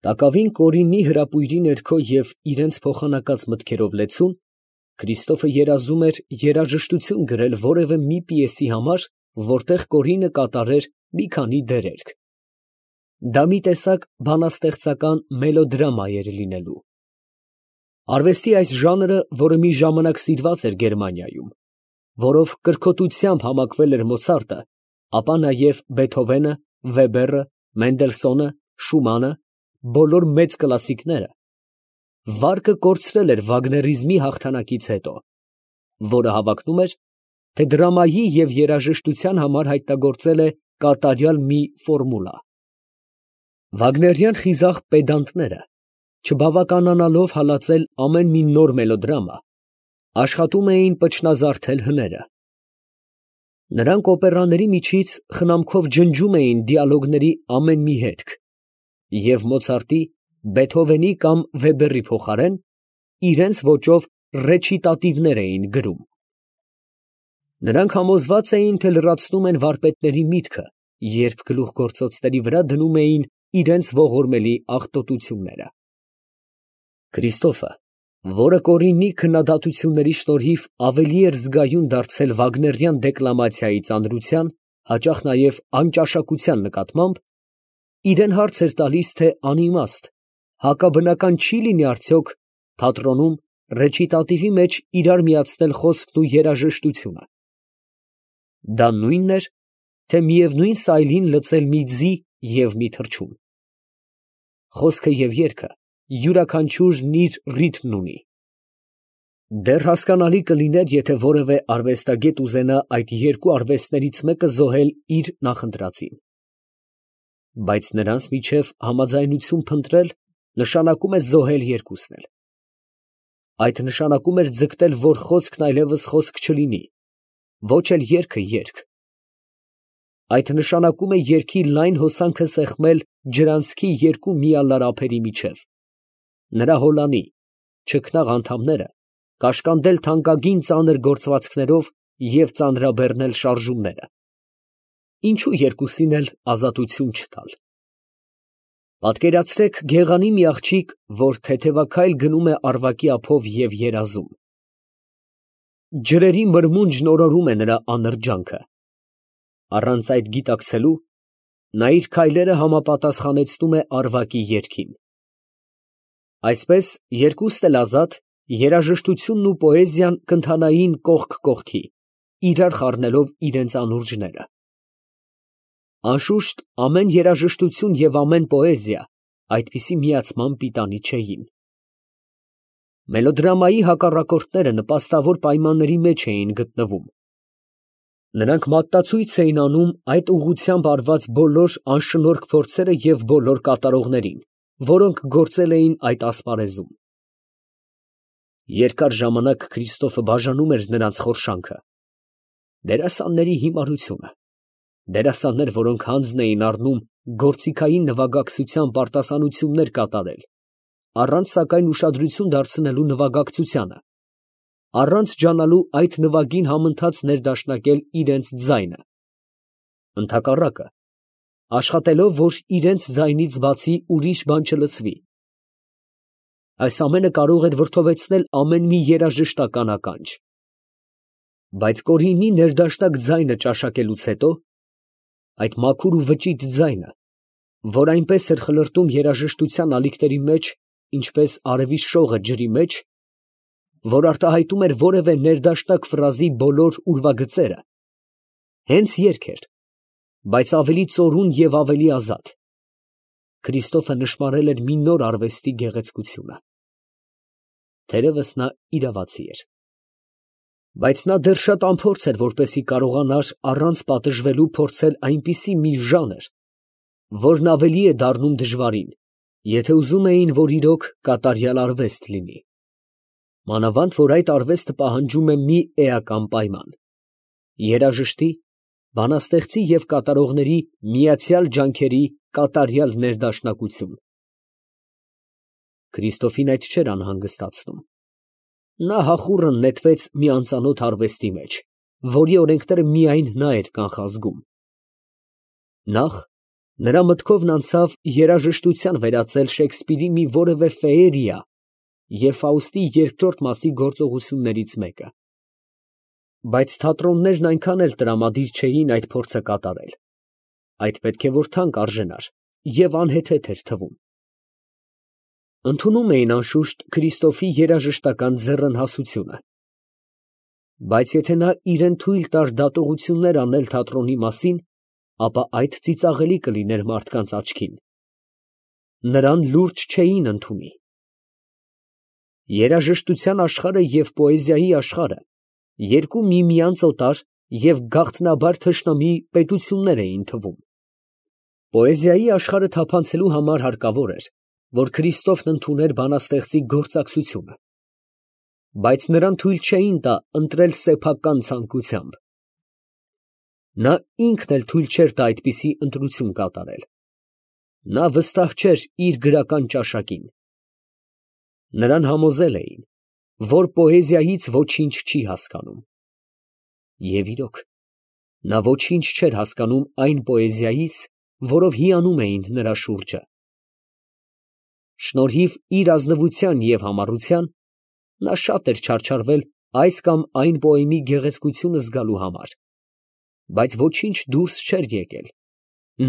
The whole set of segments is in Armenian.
Տակավին կորինի հրապույրի ներքո և իրենց փոխանակած մտքերով լեցուն, Քրիստոֆը երազում էր երաժշտություն գրել որևէ մի պիեսի համար, որտեղ կորինը կատարեր մի քանի դերերք. դա մի տեսակ բանաստեղծական մելոդրամա էր լինելու։ Արվեստի այս ժանրը, որը մի ժամանակ սիրված էր Գերմանիայում, որով կրքոտությամբ համակվել էր Մոցարտը, ապա նաև Բեթհովենը, Վեբերը, Մենդելսոնը, Շումանը, բոլոր մեծ կլասիկները, վարկը կորցրել էր վագներիզմի հաղթանակից հետո, որը հավակնում էր, թե դրամայի և երաժշտության համար հայտնագործել է կատարյալ մի ֆորմուլա։ Վագներյան խիզախ պեդանտները, չբավականանալով հալածել ամեն մի նոր մելոդրամա, աշխատում էին պչնազարդել հները։ Նրանք օպերաների միջից խնամքով ջնջում էին դիալոգների ամեն մի հետք և Մոցարտի, Բեթհովենի կամ Վեբերի փոխարեն իրենց ոճով ռեչիտատիվներ էին գրում։ Նրանք համոզված էին, թե լրացնում են վարպետների միտքը, երբ գլուխգործոցների վրա դնում էին իրենց ողորմելի աղտոտությունները։ Քրիստոֆը, որը կորինի քննադատությունների շնորհիվ ավելի էր զգայուն դարձել վագներյան դեկլամացիայի ծանրության, հաճախ նաև անճաշակության նկատմամբ, իրան հարց էր տալիս, թե անիմաստ, հակաբնական չի լինի արդյոք թատրոնում ռեչիտատիվի մեջ իրար միացնել խոսքն ու երաժշտությունը։ Դա նույնն էր, թե միևնույն սայլին լցել մի ձի և մի թռչուն։ Խոսքը և երգը յուրաքանչյուրն իր ռիթմն ունի։ Դեռ հասկանալի կլիներ, եթե որևէ արվեստագետ ուզենա այդ երկու արվեստներից մեկը զոհել իր նախընտրածին։ Բայց նրանց միջև համաձայնություն փնտրել նշանակում է զոհել երկուսն էլ։ Այդ նշանակում էր ձգտել, որ խոսքն այլևս խոսք չլինի, ոչ էլ երգը երգ։ Այդ նշանակում է երգի լայն հոսանքը սեղմել ջրանցքի երկու միալար ափերի միջև, նրա հոլանի, չքնաղ անդամները կաշկանդել թանկագին ծանր գործվածքներով և ծանրաբեռնել շարժումները, ինչու երկուսին էլ ազատություն չտալ։ Պատկերացրեք գեղանի մի աղջիկ, որ թեթևաքայլ գնում է առվակի ափով և երազում։ Ջրերի մրմունջն օրորում է նրա անրջանքը։ Առանց այդ գիտակցելու, նա իր քայլերը համապատասխանեցնում է առվակի երգին։ Այսպես, երկուստ էլ ազատ, երաժշտությունն ու պոեզիան կընթանային կողք կողքի, իրար խառնելով իրենց անուրջները։ Անշուշտ, ամեն երաժշտություն և ամեն պոեզիա այդպիսի միացման պիտանի չէին։ Մելոդրամայի հակառակորդները նպաստավոր պայմանների մեջ էին գտնվում։ Նրանք մատնացույց էին անում այդ ուղղությամբ արված բոլոր անշնորհք փորձերը և բոլոր կատարողներին, որոնք գործել էին այդ ասպարեզում։ Երկար ժամանակ Քրիստոֆը բաժանում էր նրանց խորշանքը։ Դերասանների հիմարությունը, դերասաններ, որոնք հանձն էին առնում գործիքային նվագակցությամբ արտասանություններ կատարել, առանց սակայն ուշադրություն դարձնելու նվագակցությանը, առանց ջանալու այդ նվագին համընթաց ներդաշնակել իրենց ձայնը, ընդհակառակը, աշխատելով, որ իրենց ձայնից բացի ուրիշ բան չլսվի։ Այս ամենը կարող էր վրդովեցնել ամեն մի երաժշտական ականջ։ Բայց կորինի ներդաշնակ ձայնը ճաշակելուց հետո, այդ մաքուր ու վճիտ ձայնը, որ այնպես էր խլրտում երաժշտության ալիքների մեջ, ինչպես արևի շողը ջրի մեջ, որ արտահայտում էր որևէ ներդաշնակ ֆրազի բոլոր ուրվագծերը, հենց երգ էր, բայց ավելի ծորուն և ավելի ազատ։ Քրիստոֆը նշմարել էր մի նոր արվեստի գեղեցկությունը։ Թերևս նա իրավացի էր։ Բայց նա դեռ շատ անփորձ էր, որպեսզի կարողանար առանց պատժվելու փորձել այնպիսի մի ժանր, որն ավելի է դառնում դժվարին, եթե ուզում էին, որ իրոք կատարյալ արվեստ լինի։ Մանավանդ, որ այդ արվեստը պահանջում է մի էական պայման՝ երաժշտի, բանաստեղծի և կատարողների միացյալ ջանքերի կատարյալ ներդաշնակություն։ Քրիստոֆին այդ չէր անհանգստացնում։ Նա հախուռն նետվեց մի անծանոթ արվեստի մեջ, որի օրենքները միայն նա էր կանխազգում։ Նախ, Նրա մտքովն անցավ երաժշտության վերածել Շեքսպիրի մի որևէ ֆեերիա և Ֆաուստի երկրորդ մասի գործողություններից մեկը. բայց թատրոններն այնքան էլ տրամադիր չէին այդ փորձը կատարել. այդ պետք է որ թանկ արժենար և անհեթեթ էր թվում. ընդունում էին անշուշտ Քրիստոֆի երաժշտական ձեռնհասությունը. բայց եթե նա իրան թույլ տար դատողություններ անել թատրոնի մասին, ապա այդ ծիծաղելի կլիներ մարդկանց աչքին. նրան լուրջ չէին ընդունի. երաժշտության աշխարհը և պոեզիայի աշխարհը երկու միմյանց օտար և գաղտնաբար թշնամի պետություններ էին թվում. պոեզիայի աշխարհը թափանցելու համար հարկավոր էր, որ Քրիստոֆն ընդուներ բանաստեղծի գործակցությունը, բայց նրան թույլ չէին տա ընտրել սեփական ցանկությամբ. նա ինքն էլ թույլ չէր տա այդպիսի ընտրություն կատարել. նա վստահ չէր իր գրական ճաշակին. նրան համոզել էին, որ պոեզիայից ոչինչ չի հասկանում. և իրոք, նա ոչինչ չէր հասկանում այն պոեզիայից, որով հիանում էին նրա շուրջը. շնորհիվ իր ազնվության և համառության, նա շատ էր չարչարվել այս կամ այն պոեմի գեղեցկությունը զգալու համար, բայց ոչինչ դուրս չէր եկել,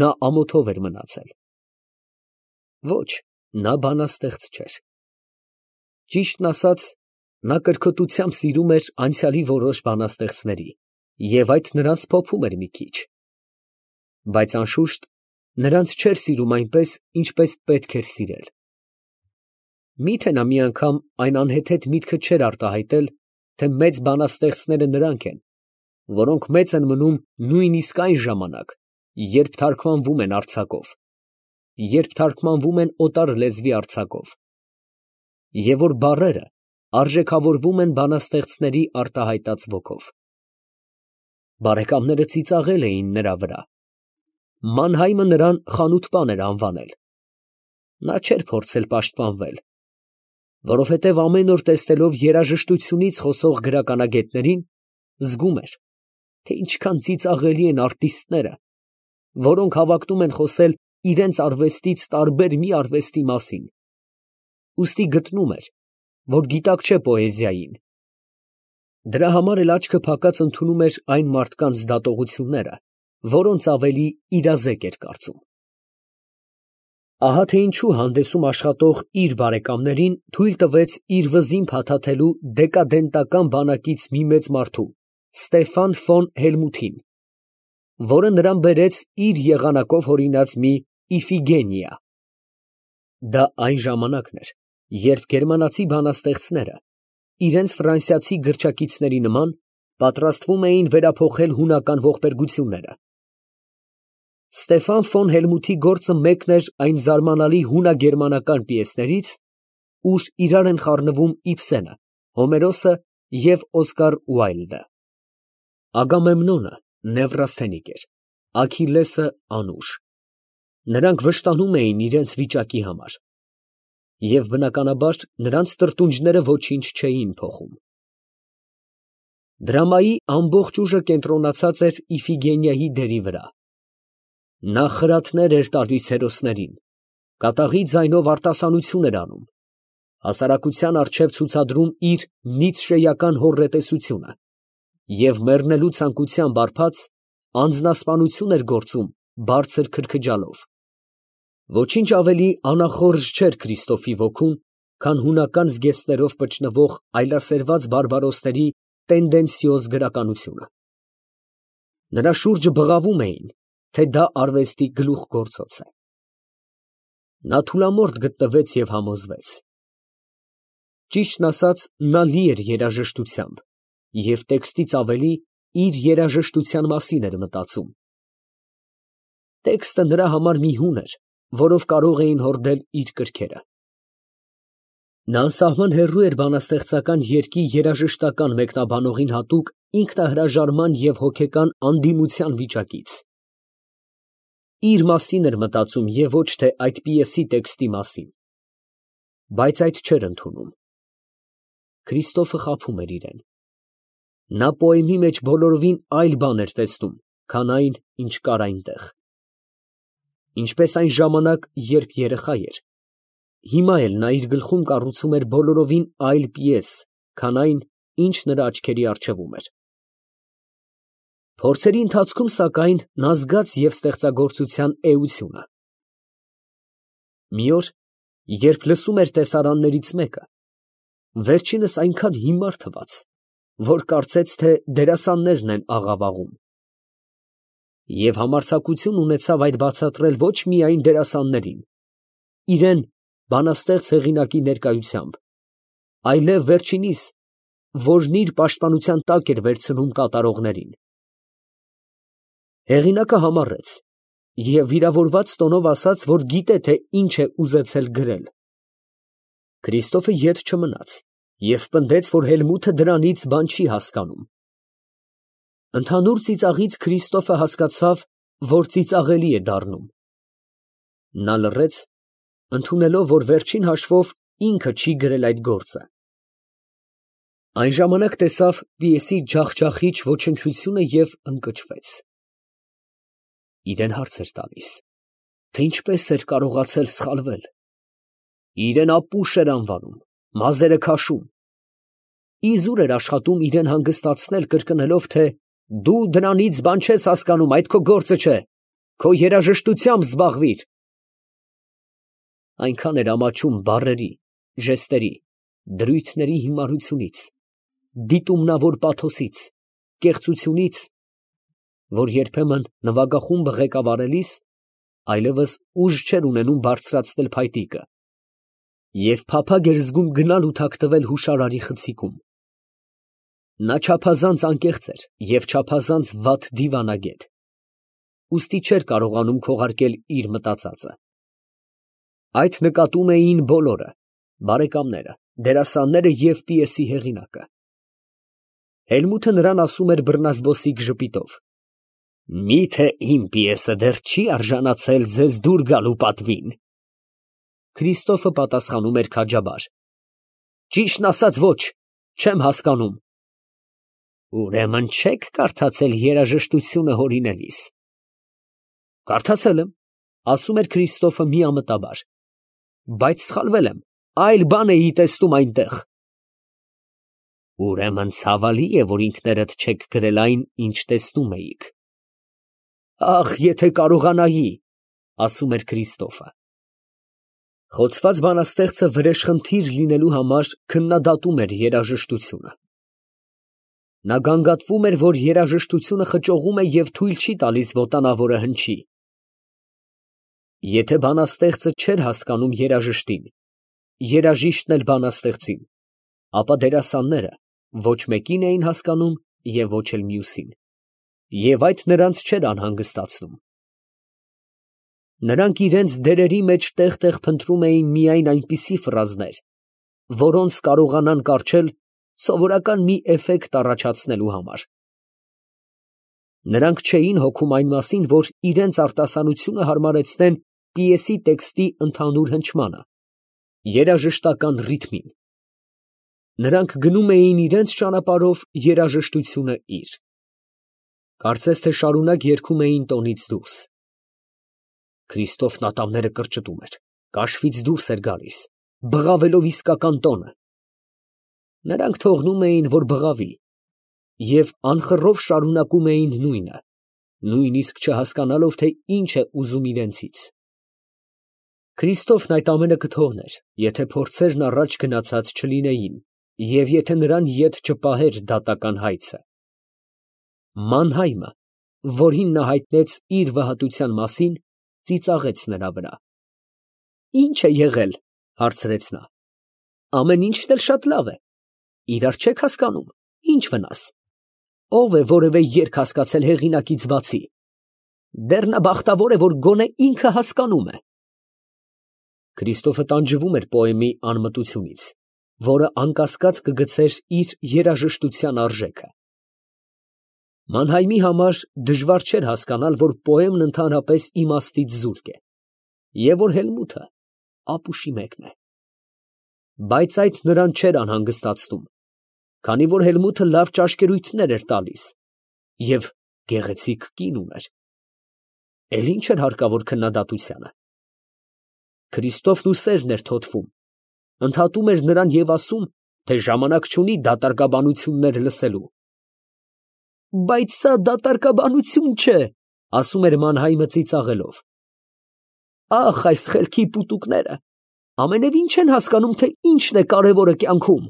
նա ամոթով էր մնացել. ոչ, նա բանաստեղծ չէր. ճիշտն ասած, նա կրքոտությամբ սիրում էր անցյալի որոշ բանաստեղծների և այդ նրանց փոփում էր մի քիչ, բայց անշուշտ նրանց չէր սիրում այնպես, ինչպես պետք էր սիրել. միթե նա մի անգամ այն անհեթեթ միտքը չէր արտահայտել, թե մեծ բանաստեղծները նրանք են, որոնք մեծ են մնում նույնիսկ այն ժամանակ, երբ թարգմանվում են արձակով, երբ թարգմանվում են օտար լեզվի արձակով, և որ բառերը արժեքավորվում են բանաստեղծների արտահայտած ոգով. բարեկամները ծիծաղել էին նրա վրա. Մանհայմը նրան խանութպան էր անվանել. նա չէր փորձել պաշտպանվել, որովհետև ամեն օր տեսնելով երաժշտությունից խոսող գրականագետներին, զգում էր, թե ինչքան ծիծաղելի են արտիստները, որոնք հավակնում են խոսել իրենց արվեստից տարբեր մի արվեստի մասին, ուստի գտնում էր, որ գիտակ չէ պոեզիային. դրա համար էլ աչքը փակած ընդունում էր այն մարդկանց դատողությունները, որոնց ավելի իրազեկ էր կարծում. ահա թե ինչու հանդեսում աշխատող իր բարեկամներին թույլ տվեց իր վզին փաթաթելու դեկադենտական բանակից մի մեծ մարդու, Ստեֆան ֆոն Հելմութին, որը նրան բերեց իր եղանակով հորինած մի Իֆիգենիա. դա այն ժամանակն էր, երբ գերմանացի բանաստեղծները, իրենց ֆրանսիացի գրչակիցների նման, պատրաստվում էին վերափոխել հունական ողբերգությունները. Ստեֆան ֆոն Հելմութի գործը մեկն էր այն զարմանալի հունագերմանական պիեսներից, ուր իրար են խառնվում Իբսենը, Հոմերոսը և Օսկար Ուայլդը. Ագամեմնոնը նևրասթենիկ էր, Աքիլլեսը անուշ. նրանք վշտանում էին իրենց վիճակի համար, և բնականաբար նրանց տրտունջները ոչինչ չէին փոխում. դրամայի ամբողջ ուժը կենտրոնացած էր Իֆիգենիայի դերի վրա. նա խրատներ էր տալիս հերոսներին, կատաղի ձայնով արտասանություն էր անում, հասարակության առջև ցուցադրում իր նիցշեական հոռետեսությունը և մեռնելու ցանկությամբ արբած անձնասպանություն էր գործում բարձր քրքջալով. ոչինչ ավելի անախորժ չէր Քրիստոֆի ոգուն, քան հունական զգեստներով պճնվող այլասերված բարբարոսների տենդենցիոզ գրականությունը. նրա շուրջը բղավում էին, թե դա արվեստի գլուխգործոց է. նա թուլամորթ գտնվեց և համոզվեց. ճիշտն ասած, նա լի էր երաժշտությամբ և տեքստից ավելի իր երաժշտության մասին էր մտածում. տեքստը նրա համար մի հուն էր, որով կարող էին հորդել իր կրքերը. նա անսահման հեռու էր բանաստեղծական երգի երաժշտական մեկնաբանողին հատուկ ինքնահրաժարման և հոգեկան անդիմության վիճակից. իր մասին էր մտածում և ոչ թե այդ պիեսի տեքստի մասին, բայց այդ չէր ընդունում. Քրիստոֆը խաբում էր իրան. նա պոեմի մեջ բոլորովին այլ բան էր տեսնում, քան այն, ինչ կար այնտեղ. ինչպես այն ժամանակ, երբ երեխա էր, հիմա էլ նա իր գլխում կառուցում էր բոլորովին այլ պիես, քան այն, ինչ նրա աչքերի առջևում էր։ Փորձերի ընթացքում, սակայն, նա զգաց և ստեղծագործության էությունը։ Մի օր, երբ լսում էր տեսարաններից մեկը, վերջինս այնքան հիմար թվաց, որ կարծեց, թե դերասաններն են աղավաղում, և համարձակություն ունեցավ այդ բացատրել ոչ միայն դերասաններին, իրան բանաստեղծ հեղինակի ներկայությամբ, այլև վերջինիս, որն իր պաշտպանության տակ էր վերցնում կատարողներին։ Հեղինակը համառեց և վիրավորված տոնով ասաց, որ գիտե, թե ինչ է ուզեցել գրել։ Քրիստոֆը ետ չմնաց և պնդեց, որ Հելմութը դրանից բան չի հասկանում։ Ընդհանուր ծիծաղից Քրիստոֆը հասկացավ, որ ծիծաղելի է դառնում։ Նա լռեց, ընդունելով, որ վերջին հաշվով ինքը չի գրել այդ գործը։ Այն ժամանակ տեսավ պիեսի ջախջախիչ ոչնչությունը և ընկճվեց։ Իրան հարց էր տալիս, թե ինչպես էր կարողացել սխալվել։ Իրան ապուշ էր անվանում, մազերը քաշում։ Իզուր էր աշխատում իրան հանգստացնել, կրկնելով, թե դու դրանից բան չես հասկանում, այդ քո գործը չէ, քո երաժշտությամբ զբաղվիր։ Այնքան էր ամաչում բառերի, ժեստերի, դրույթների հիմարությունից, դիտումնավոր պաթոսից, կեղծությունից, որ երբեմն նվագախումբը ղեկավարելիս այլևս ուժ չէր ունենում բարձրացնել փայտիկը և փափագ էր զգում գնալ ու թաքնվել հուշարարի խցիկում։ Նա չափազանց անկեղծ էր և չափազանց վատ դիվանագետ, ուստի չէր կարողանում քողարկել իր մտածածը։ Այդ նկատում էին բոլորը, բարեկամները, դերասանները և պիեսի հեղինակը։ Հելմութը նրան ասում էր բռնազբոսիկ ժպիտով. «Մի՞թե իմ պիեսը դեռ չի արժանացել ձեզ դուր գալու պատվին»։ Քրիստոֆը պատասխանում էր քաջաբար. «Ճիշտն ասած, ոչ, չեմ հասկանում»։ Ուրեմն չեք կարդացել երաժշտությունը հորինելիս։ Կարդացել եմ, ասում էր Քրիստոֆը միամտաբար, բայց սխալվել եմ, այլ բան էի տեսնում այնտեղ։ Ուրեմն ցավալի է, որ ինքներդ չեք գրել այն, ինչ տեսնում էիք։ Ախ, եթե կարողանայի, ասում էր Քրիստոֆը։ Խոցված բանաստեղծը վրեժխնդիր լինելու համար քննադատում էր երաժշտությունը։ Նա գանգատվում էր, որ երաժշտությունը խճողում է և թույլ չի տալիս վոտանավորը հնչի։ Եթե բանաստեղծը չէր հասկանում երաժշտին, երաժիշտն էլ բանաստեղծին, ապա դերասանները ոչ մեկին էին հասկանում և ոչ էլ մյուսին, և այդ նրանց չէր անհանգստացնում։ Նրանք իրենց դերերի մեջ տեղ֊տեղ փնտրում էին միայն այնպիսի ֆրազներ, որոնց կարողանան կառչել սովորական մի էֆեկտ առաջացնելու համար։ Նրանք չէին հոգում այն մասին, որ իրենց արտասանությունը հարմարեցնեն պիեսի տեքստի ընդհանուր հնչմանը, երաժշտական ռիթմին։ Նրանք գնում էին իրենց ճանապարհով, երաժշտությունը իր։ Կարծես թե շարունակ երգում էին տոնից դուրս։ Քրիստոֆն ատամները կրճտում էր, կաշվից դուրս էր գալիս, բղավելով իսկական տոնը։ Նրանք թողնում էին, որ բղավի, և անխռով շարունակում էին նույնը, նույնիսկ չհասկանալով, թե ինչ է ուզում իրենցից։ Քրիստոֆն այդ ամենը կթողներ, եթե փորձերն առաջ գնացած չլինեին, և եթե նրան ետ չպահեր դատական հայցը։ Մանհայմը, որին նա հայտնեց իր վհատության մասին, ծիծաղեց նրա վրա։ Ի՞նչ է եղել, հարցրեց նա։ Ամեն ինչն էլ շատ լավ է։ Իրար չեք հասկանում, ի՞նչ վնաս։ Ո՞վ է որևէ երգ հասկացել հեղինակից բացի։ Դեռ նա բախտավոր է, որ գոնե ինքը հասկանում է։ Քրիստոֆը տանջվում էր պոեմի անմտությունից, որը անկասկած կգցեր իր երաժշտության արժեքը։ Մանհայմի համար դժվար չէր հասկանալ, որ պոեմն ընդհանրապես իմաստից զուրկ է, և որ Հելմութը ապուշի մեկն է։ Բայց այդ նրան չէր անհանգստացնում, քանի որ Հելմութը լավ ճաշկերույթներ էր տալիս և գեղեցիկ կին ուներ։ Էլ ինչ էր հարկավոր քննադատությանը։ Քրիստոֆն ու սերն էր թոթվում, ընդհատում էր նրան և ասում, թե ժամանակ չունի դատարկաբանություններ լսելու։ Բայց սա դատարկաբանություն չէ, ասում էր Մանհայմը ծիծաղելով։ Ախ, այս խելքի պուտուկները ամենևին չեն հասկանում, թե ինչն է կարևորը կյանքում։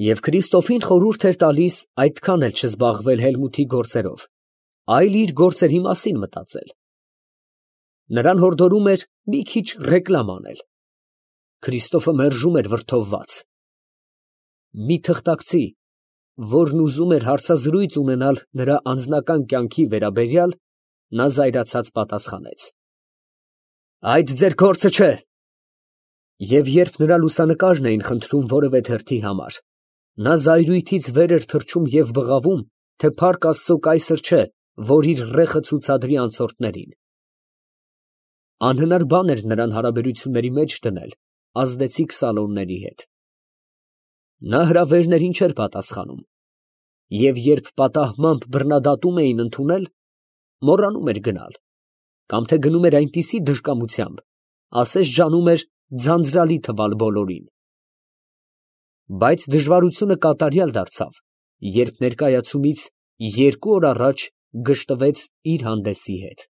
Եվ Քրիստոֆին խորհուրդ էր տալիս այդքան էլ չզբաղվել Հելմութի գործերով, այլ իր գործերի մասին մտածել։ Նրան հորդորում էր մի քիչ ռեկլամ անել։ Քրիստոֆը մերժում էր վրդովված։ Մի թղթակցի, որն ուզում էր հարցազրույց ունենալ նրա անձնական կյանքի վերաբերյալ, նա զայրացած պատասխանեց. Այդ ձեր գործը չէ։ Եվ երբ նրա լուսանկարն էին խնդրում որևէ թերթի համար, նա զայրույթից վեր էր թռչում և բղավում, թե փառք Աստծո կայսր չէ, որ իր ռեխը ցուցադրի անցորդներին։ Անհնար բան էր նրան հարաբերությունների մեջ դնել ազդեցիկ սալոնների հետ։ Նա հրավերներին չէր պատասխանում, և երբ պատահմամբ բռնադատում էին ընդունել, մոռանում էր գնալ, կամ թե գնում էր այնպիսի դժկամությամբ, ասես ջանում էր ձանձրալի թվալ բոլորին։ Բայց դժվարությունը կատարյալ դարձավ, երբ ներկայացումից 2 օր առաջ գժտվեց իր հանդեսի հետ։